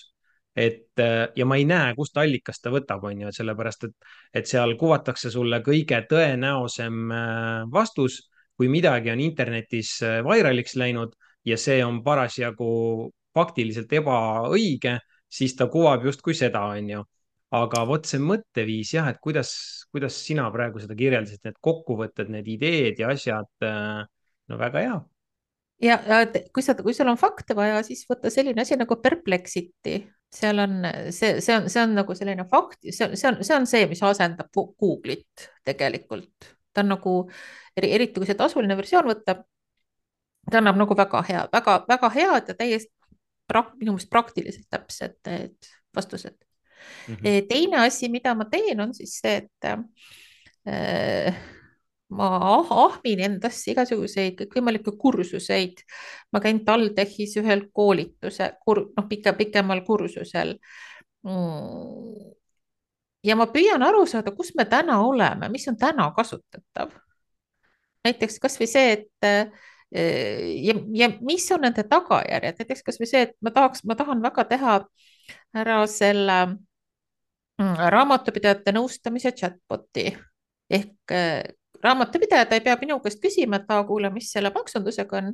et ja ma ei näe, kust allikast ta võtab, on ju, et sellepärast, et, et seal kuvatakse sulle kõige tõenäosem vastus, kui midagi on internetis vairaliks läinud ja see on parasjagu faktiliselt ebaõige, siis ta kuvab justkui seda, on ju. Aga vot see mõtteviis jah, et kuidas, kuidas sina praegu seda kirjeldasid, need kokkuvõtted, need ideed ja asjad, no väga hea. ja, ja kui sa, kui sul on fakte vaja, siis võtta selline asi nagu Perplexity, seal on see, see on, see on nagu selline fakt, see on, see on, see on see, mis asendab Google'it tegelikult. ta on nagu, eriti kui see tasuline versioon võtta, ta annab nagu väga hea, väga, väga head ja täiesti prak, minu meelest praktiliselt täpsed need vastused mm. -hmm. teine asi, mida ma teen, on siis see, et äh, ma ah ahmin endasse igasuguseid kõikvõimalikke kursuseid. ma käin TalTechis ühel koolituse kur,, noh, pika, pikemal kursusel mm.. ja ma püüan aru saada, kus me täna oleme, mis on täna kasutatav. näiteks kasvõi see, et ja, ja mis on nende tagajärjed, näiteks kasvõi see, et ma tahaks, ma tahan väga teha ära selle raamatupidajate nõustamise chatboti ehk raamatupidaja, ta ei pea minu käest küsima, et kuule, mis selle maksundusega on.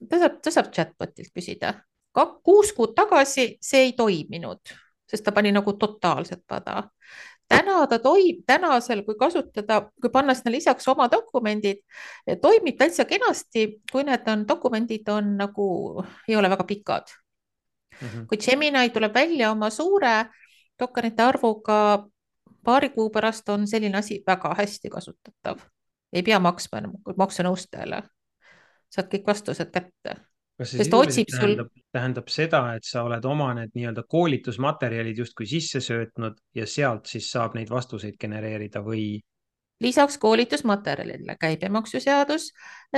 ta saab, ta saab chatbotilt küsida. kuus kuud tagasi see ei toiminud, sest ta pani nagu totaalselt pada. täna ta toimub, tänasel, kui kasutada, kui panna sinna lisaks oma dokumendid, toimib täitsa kenasti, kui need on, dokumendid on nagu, ei ole väga pikad mm. -hmm. kui Gemini tuleb välja oma suure doktorite arvuga, paari kuu pärast on selline asi väga hästi kasutatav. ei pea maksma enam maksunõustajale. saad kõik vastused kätte. kas see sest ta sisuliselt otsib sul. tähendab, tähendab seda, et sa oled oma need nii-öelda koolitusmaterjalid justkui sisse söötnud ja sealt siis saab neid vastuseid genereerida või? lisaks koolitusmaterjalile käibemaksuseadus,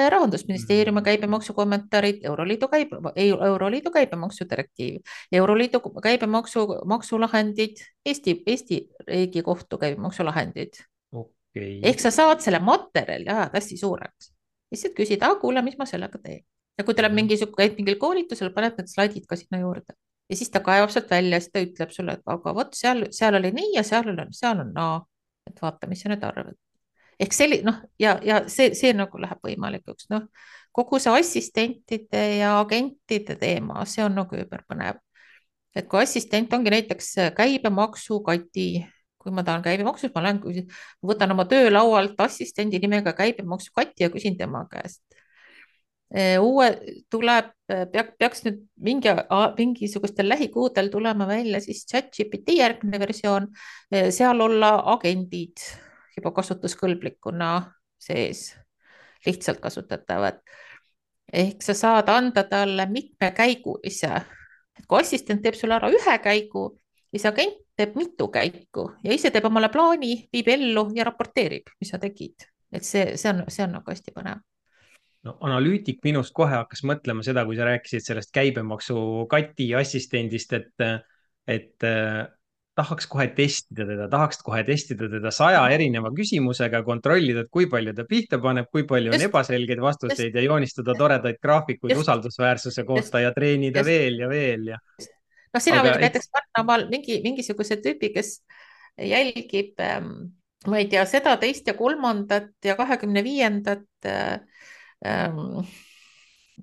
Rahandusministeeriumi mm. käibemaksukommentaarid, Euroliidu käibe, Euroliidu käibemaksudirektiiv, Euroliidu käibemaksu, maksulahendid, Eesti, Eesti Riigikohtu käibemaksulahendid okay.. ehk sa saad selle materjali ajada hästi suureks. lihtsalt küsid, ah kuule, mis ma sellega teen. ja kui tuleb mm. mingisugune, käid mingil koolitusel, paned need slaidid ka sinna juurde ja siis ta kaevab sealt välja, siis ta ütleb sulle, et aga vot seal, seal oli nii ja seal on, seal on naa, et vaata, mis sa nüüd arvad. ehk selline, noh, ja, ja see, see nagu läheb võimalikuks, noh, kogu see assistentide ja agentide teema, see on nagu überpõnev. et kui assistent ongi näiteks käibemaksukati, kui ma tahan käibemaksu, ma lähen, võtan oma töölaualt assistendi nimega käibemaksukati ja küsin tema käest. uue tuleb, peaks nüüd mingi, mingisugustel lähikuudel tulema välja siis ChatGPT järgmine versioon, seal olla agendid juba kasutuskõlblikuna sees, lihtsalt kasutatavad. ehk sa saad anda talle mitmekäigulise, et kui assistent teeb sulle ära ühe käigu, siis agent teeb mitu käiku ja ise teeb omale plaani, viib ellu ja raporteerib, mis sa tegid. et see, see on, see on nagu hästi põnev. no analüütik minust kohe hakkas mõtlema seda, kui sa rääkisid sellest käibemaksukati assistendist, et, et tahaks kohe testida teda, tahaks kohe testida teda saja erineva küsimusega, kontrollida, et kui palju ta pihta paneb, kui palju on just, ebaselgeid vastuseid just, ja joonistada toredaid graafikuid just, usaldusväärsuse kohta just, ja treenida just. veel ja veel ja. noh, sina aga võid et... näiteks panna omal mingi, mingisuguse tüübi, kes jälgib ähm, ma ei tea, seda, teist ja kolmandat ja kahekümne viiendat äh, ähm,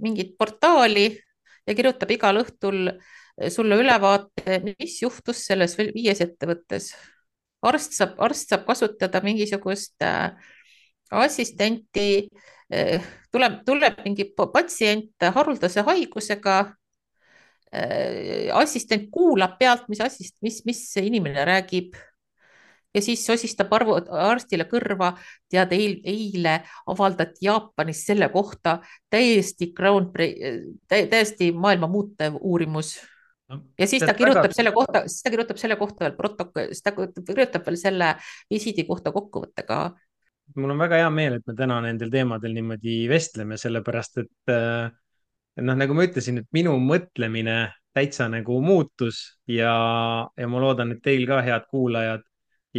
mingit portaali ja kirjutab igal õhtul sulle ülevaate, mis juhtus selles viies ettevõttes. arst saab, arst saab kasutada mingisugust äh, assistenti, äh, tuleb, tuleb mingi patsient haruldase haigusega, äh, assistent kuulab pealt, mis assist-, mis, mis see inimene räägib ja siis sosistab arvu, arstile kõrva. tead, eil, eile avaldati Jaapanis selle kohta täiesti ground, täiesti maailma muutev uurimus. No, ja siis ta tead, väga, kirjutab selle kohta, siis ta kirjutab selle kohta veel protokoll, siis ta kirjutab veel selle visiidi kohta kokkuvõtte ka. mul on väga hea meel, et me täna nendel teemadel niimoodi vestleme, sellepärast et äh, noh, nagu ma ütlesin, et minu mõtlemine täitsa nagu muutus ja, ja ma loodan, et teil ka, head kuulajad.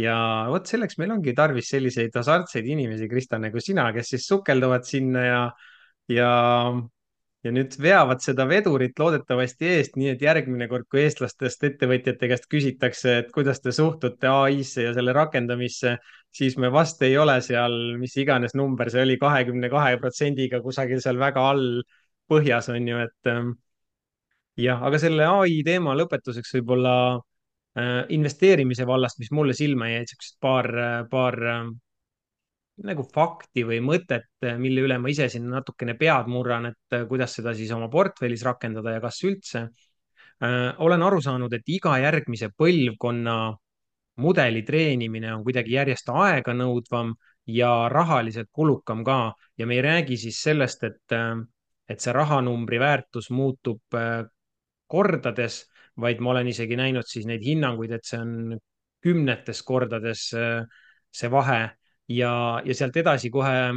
ja vot selleks meil ongi tarvis selliseid hasartseid inimesi, Krista, nagu sina, kes siis sukelduvad sinna ja, ja ja nüüd veavad seda vedurit loodetavasti eest, nii et järgmine kord, kui eestlastest ettevõtjate käest küsitakse, et kuidas te suhtute A I-sse ja selle rakendamisse, siis me vast ei ole seal, mis iganes number see oli, kahekümne kahe protsendiga kusagil seal väga all põhjas on ju, et ähm, jah, aga selle A I teema lõpetuseks võib-olla äh, investeerimise vallast, mis mulle silma jäid, siuksed paar, paar äh, nagu fakti või mõtet, mille üle ma ise siin natukene pead murran, et äh, kuidas seda siis oma portfellis rakendada ja kas üldse. Äh, olen aru saanud, et iga järgmise põlvkonna mudeli treenimine on kuidagi järjest aeganõudvam ja rahaliselt kulukam ka. ja me ei räägi siis sellest, et, äh, et see rahanumbri väärtus muutub äh, kordades, vaid ma olen isegi näinud siis neid hinnanguid, et see on kümnetes kordades äh, see vahe ja, ja sealt edasi kohe,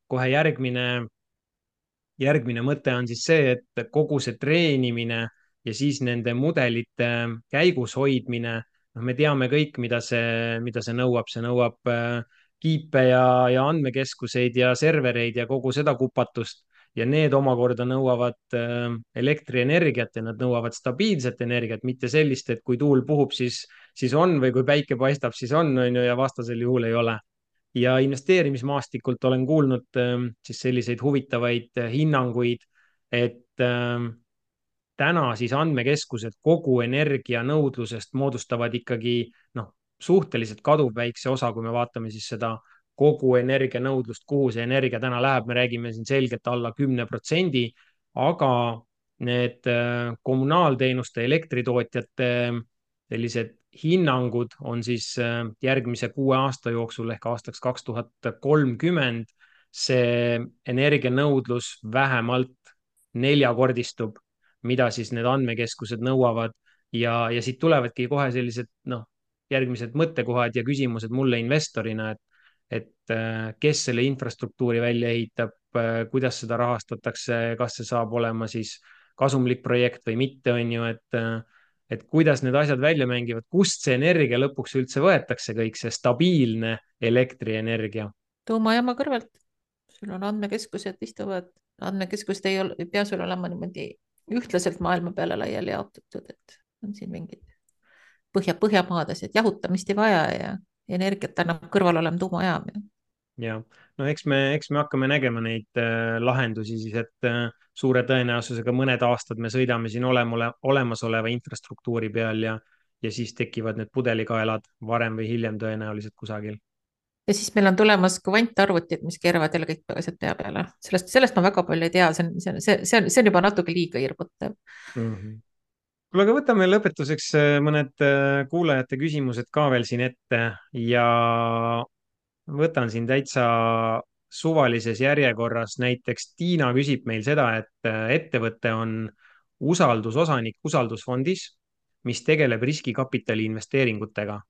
kohe järgmine, järgmine mõte on siis see, et kogu see treenimine ja siis nende mudelite käigus hoidmine, noh, me teame kõik, mida see, mida see nõuab, see nõuab äh, kiipe ja, ja andmekeskuseid ja servereid ja kogu seda kupatust ja need omakorda nõuavad äh, elektrienergiat ja nad nõuavad stabiilset energiat, mitte sellist, et kui tuul puhub, siis, siis on või kui päike paistab, siis on, on ju, ja vastasel juhul ei ole. ja investeerimismaastikult olen kuulnud äh, siis selliseid huvitavaid äh, hinnanguid, et äh, täna siis andmekeskused kogu energianõudlusest moodustavad ikkagi noh, suhteliselt kaduvväikse osa, kui me vaatame siis seda kogu energianõudlust, kuhu see energia täna läheb, me räägime siin selgelt alla kümne protsendi, aga need äh, kommunaalteenuste, elektritootjate sellised hinnangud on siis äh, järgmise kuue aasta jooksul ehk aastaks kaks tuhat kolmkümmend see energianõudlus vähemalt neljakordistub, mida siis need andmekeskused nõuavad ja, ja siit tulevadki kohe sellised noh, järgmised mõttekohad ja küsimused mulle investorina, et et äh, kes selle infrastruktuuri välja ehitab, äh, kuidas seda rahastatakse, kas see saab olema siis kasumlik projekt või mitte, on ju, et äh, et kuidas need asjad välja mängivad, kust see energia lõpuks üldse võetakse, kõik see stabiilne elektrienergia. tuumajaama kõrvalt, sul on andmekeskused istuvad, andmekeskused ei ole, ei pea sul olema niimoodi ühtlaselt maailma peale laiali jaotatud, et on siin mingid Põhja, Põhjamaades, et jahutamist ei vaja ja energiat annab kõrval olema tuumajaam. ja no eks me, eks me hakkame nägema neid äh, lahendusi siis, et äh, suure tõenäosusega mõned aastad me sõidame siin olema, olemasoleva infrastruktuuri peal ja, ja siis tekivad need pudelikaelad varem või hiljem tõenäoliselt kusagil. ja siis meil on tulemas kvantarvutid, mis keeravad jälle kõik asjad pea peale. sellest, sellest ma väga palju ei tea, see on, see on, see, see on, see on juba natuke liiga hirmutav mm. -hmm. kuule, aga võtame lõpetuseks äh, mõned äh, kuulajate küsimused ka veel siin ette ja võtan siin täitsa suvalises järjekorras. näiteks Tiina küsib meil seda, et äh, ettevõte on usaldusosanik usaldusfondis, mis tegeleb riskikapitali investeeringutega.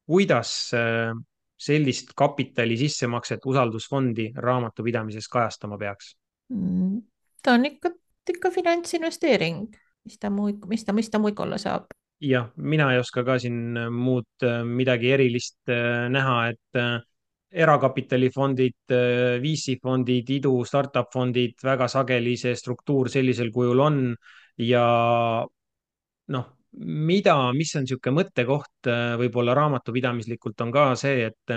kuidas äh, sellist kapitali sissemakset usaldusfondi raamatupidamises kajastama peaks? mm,. ta on ikka, ikka finantsinvesteering, mis ta muud, mis ta, mis ta muid olla saab. jah, mina ei oska ka siin muud äh, midagi erilist äh, näha, et äh, erakapitalifondid, V C fondid, idu, startup fondid, väga sageli see struktuur sellisel kujul on ja noh, mida, mis on niisugune mõttekoht võib-olla raamatupidamislikult on ka see, et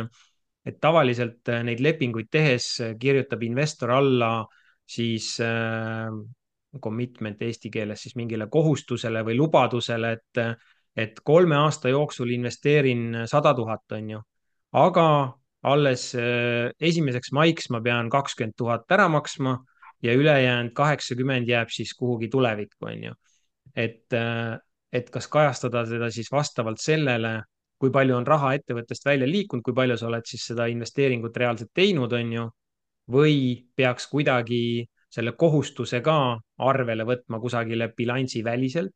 et tavaliselt äh, neid lepinguid tehes äh, kirjutab investor alla siis äh, commitment eesti keeles siis mingile kohustusele või lubadusele, et, et kolme aasta jooksul investeerin sada tuhat, on ju. aga alles äh, esimeseks maiks ma pean kakskümmend tuhat ära maksma ja ülejäänud kaheksakümmend jääb siis kuhugi tulevikku, on ju. et, äh, et kas kajastada seda siis vastavalt sellele, kui palju on raha ettevõttest välja liikunud, kui palju sa oled siis seda investeeringut reaalselt teinud, on ju, või peaks kuidagi selle kohustuse ka arvele võtma kusagile bilansi väliselt.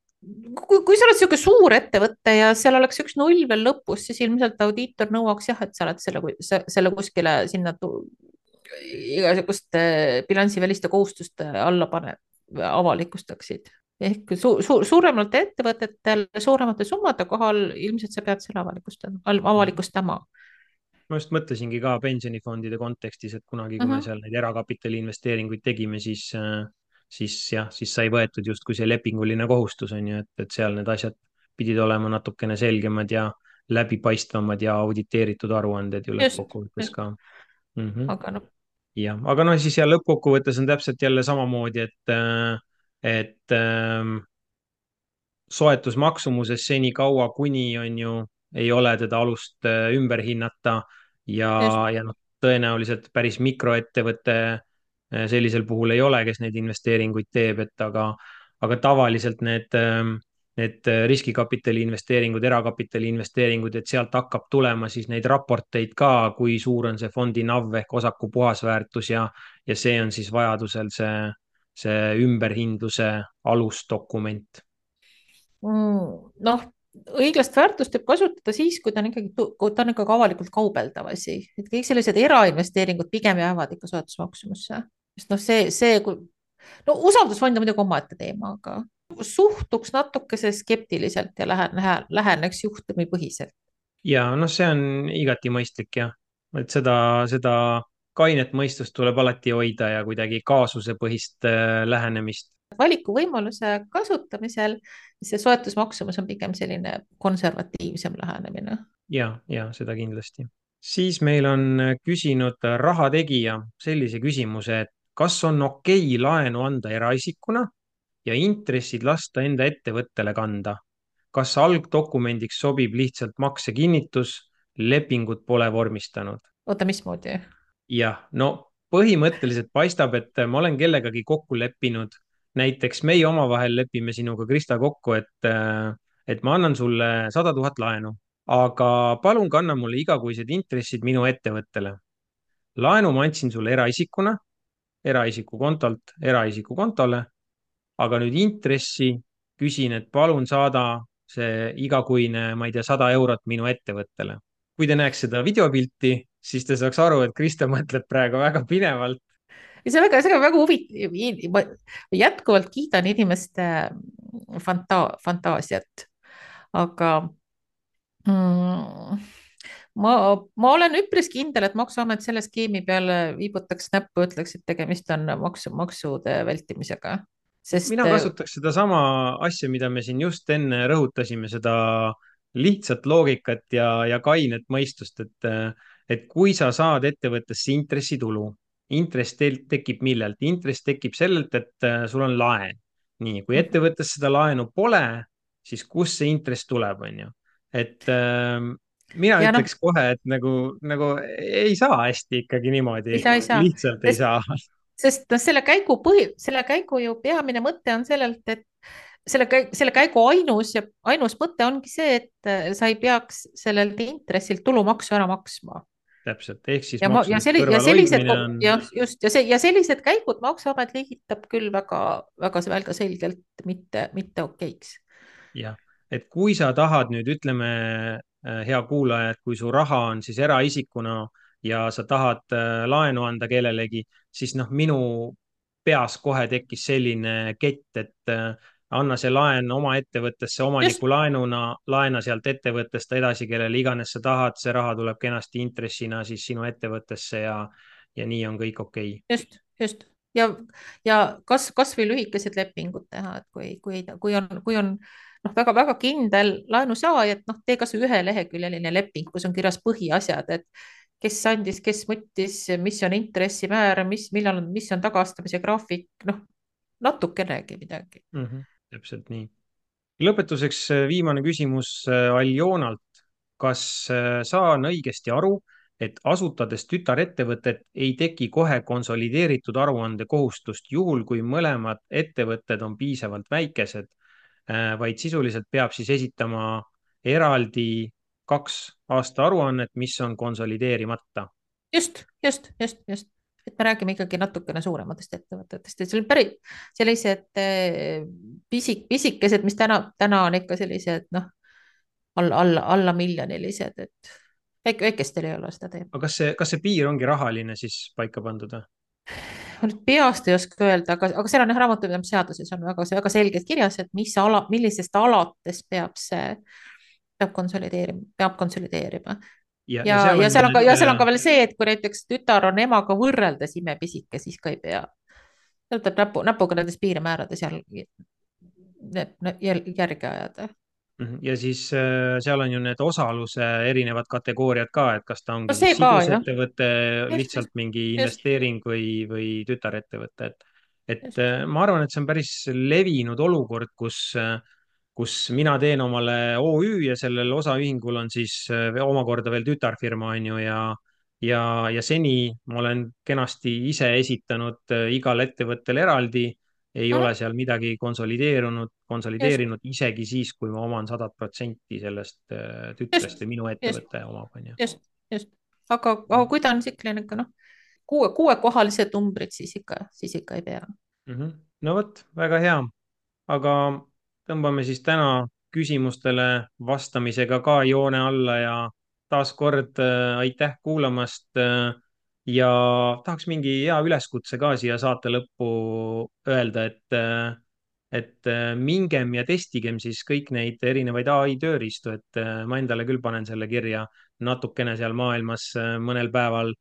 kui, kui sa oled niisugune suur ettevõte ja seal oleks üks null veel lõpus, siis ilmselt audiitor nõuaks jah, et sa oled selle, selle kuskile sinna igasuguste bilansiväliste kohustuste alla pane, avalikustaksid. Ehk su, su, suuremate ettevõtetel suuremate summade kohal ilmselt sa pead selle avalikustama, avalikustama. Ma just mõtlesingi ka pensionifondide kontekstis, et kunagi, kui uh me -huh. seal neid erakapitali investeeringuid tegime, siis, siis jah, siis sai võetud justkui see lepinguline kohustus, on ju, et, et seal need asjad pidid olema natukene selgemad ja läbipaistvamad ja auditeeritud aruanded ju just, lõppkokkuvõttes just. ka mm. -hmm. Aga noh. jah, aga noh, siis ja lõppkokkuvõttes on täpselt jälle samamoodi, et, et ähm, soetusmaksumuses senikaua, kuni on ju, ei ole teda alust äh, ümber hinnata ja, Just. ja noh, tõenäoliselt päris mikroettevõte äh, sellisel puhul ei ole, kes neid investeeringuid teeb, et aga, aga tavaliselt need, ähm, need riskikapitali investeeringud, erakapitali investeeringud, et sealt hakkab tulema siis neid raporteid ka, kui suur on see fondi N A V ehk osaku puhasväärtus ja, ja see on siis vajadusel see, see ümberhindluse alusdokument. noh, õiglast väärtust võib kasutada siis, kui ta on ikkagi, kui ta on ikkagi avalikult kaubeldav asi, et kõik sellised erainvesteeringud pigem jäävad ikka soetusmaksumusse, sest noh, see, see, kui no usaldusfond on muidugi omaette teema, aga suhtuks natukese skeptiliselt ja lähen, lähen, läheneks juhtumipõhiselt. ja noh, see on igati mõistlik jah, et seda, seda kainet mõistust tuleb alati hoida ja kuidagi kaasusepõhist äh, lähenemist. valikuvõimaluse kasutamisel see soetusmaksumus on pigem selline konservatiivsem lähenemine. ja, ja seda kindlasti. siis meil on küsinud rahategija sellise küsimuse, et kas on okei laenu anda eraisikuna ja intressid lasta enda ettevõttele kanda. kas algdokumendiks sobib lihtsalt maksekinnitus, lepingut pole vormistanud? oota, mismoodi? jah, no põhimõtteliselt paistab, et ma olen kellegagi kokku leppinud, näiteks meie omavahel lepime sinuga, Krista, kokku, et, et ma annan sulle sada tuhat laenu, aga palun kanna mulle igakuised intressid minu ettevõttele. laenu ma andsin sulle eraisikuna, eraisiku kontolt eraisiku kontole, aga nüüd intressi küsin, et palun saada see igakuine, ma ei tea, sada eurot minu ettevõttele. kui te näeks seda videopilti, siis te saaks aru, et Krista mõtleb praegu väga pinevalt. ja see on väga, see on väga huvitav, ma jätkuvalt kiidan inimeste fanta-, fantaasiat, aga mm, ma, ma olen üpris kindel, et Maksuamet selle skeemi peale viibutaks näppu, ütleks, et tegemist on maksu, maksude vältimisega, sest mina kasutaks sedasama asja, mida me siin just enne rõhutasime, seda lihtsat loogikat ja, ja kainet mõistust, et, et kui sa saad ettevõttesse intressitulu, intress te tekib millelt? Intress tekib sellelt, et sul on laen. nii, kui ettevõttes seda laenu pole, siis kust see intress tuleb, on ju? et äh, mina ja noh, ütleks kohe, et nagu, nagu ei saa hästi ikkagi niimoodi, ei saa, ei saa, lihtsalt ei sest, saa. sest noh, selle käigu põhi, selle käigu ju peamine mõte on sellelt, et selle käigu, selle käigu ainus ja ainus mõte ongi see, et sa ei peaks sellelt intressilt tulumaksu ära maksma. täpselt, ehk siis ja, ma, ja, maksudest selli, ja sellised kõrvalhoidmine on. ja just ja see ja sellised käigud Maksuamet liigitab küll väga, väga, väga selgelt mitte, mitte okeiks. jah, et kui sa tahad nüüd, ütleme, hea kuulaja, et kui su raha on siis eraisikuna ja sa tahad laenu anda kellelegi, siis noh, minu peas kohe tekkis selline kett, et anna see laen oma ettevõttesse just, omaniku laenuna, laena sealt ettevõttest edasi, kellele iganes sa tahad, see raha tuleb kenasti intressina siis sinu ettevõttesse ja, ja nii on kõik okei. just, just ja, ja kas, kasvõi lühikesed lepingud teha, et kui, kui, kui on, kui on noh, väga-väga kindel laenusaaja, et noh, tee kasvõi ühe leheküljeline leping, kus on kirjas põhiasjad, et kes andis, kes võttis, mis on intressimäär, mis, millal on, mis on tagastamise graafik, noh, natukenegi midagi. mm. -hmm. Täpselt nii. Lõpetuseks viimane küsimus Aljonalt. Kas saan õigesti aru, et asutades tütarettevõtet ei teki kohe konsolideeritud aruande kohustust juhul, kui mõlemad ettevõtted on piisavalt väikesed, vaid sisuliselt peab siis esitama eraldi kaks aasta aruannet, mis on konsolideerimata? just, just, just, just, et me räägime ikkagi natukene suurematest ettevõtetest, et see on päris sellised eh, pisik, pisikesed, mis täna, täna on ikka sellised, noh, alla, alla, alla miljonilised, et väike, väikestel ei ole seda teemat. aga kas see, kas see piir ongi rahaline siis paika pandud? Ma nüüd peast ei oska öelda, aga, aga seal on jah, raamatupidamisseaduses on väga, väga selgelt kirjas, et mis ala, millisest alates peab see, peab konsolideerima, peab konsolideerima. ja, ja ja, seal ja on seal on ka, ja seal on need, ka veel see, et kui näiteks tütar on emaga võrreldes imepisike, siis ka ei pea. seal tuleb näpu, näpuga nendes piire määrada seal järgi ajada. ja siis äh, seal on ju need osaluse erinevad kategooriad ka, et kas ta no ongi siis see ka jah, sidusettevõte, just, lihtsalt just, mingi just, investeering või, või tütarettevõte, et, et just. äh, ma arvan, et see on päris levinud olukord, kus, äh, kus mina teen omale O Ü ja sellel osaühingul on siis äh, omakorda veel tütarfirma, on ju, ja ja, ja seni ma olen kenasti ise esitanud äh, igal ettevõttel eraldi, ei Mhm, ole seal midagi konsolideerunud, just, konsolideerinud isegi siis, kui ma oman sadat protsenti sellest äh, tütrest just, või minu just, ettevõte omab, on ju. just, just. aga, aga kui ta on niisugune ikka noh, kuue, kuuekohalised numbrid, siis ikka, siis ikka ei pea. Mm -hmm. No vot, väga hea. Aga tõmbame siis täna küsimustele vastamisega ka joone alla ja taaskord äh, aitäh kuulamast äh, ja tahaks mingi hea üleskutse ka siia saate lõppu öelda, et äh, et äh, mingem ja testigem siis kõik neid erinevaid A I tööriistu, et äh, ma endale küll panen selle kirja natukene seal maailmas äh, mõnel päeval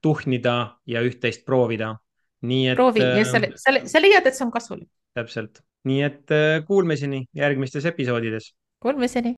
tuhnida ja üht-teist proovida. nii et proovi ja sa, äh, sa, sa leiad, et see on kasulik. täpselt, nii et äh, kuulmiseni järgmistes episoodides. Kuulmiseni.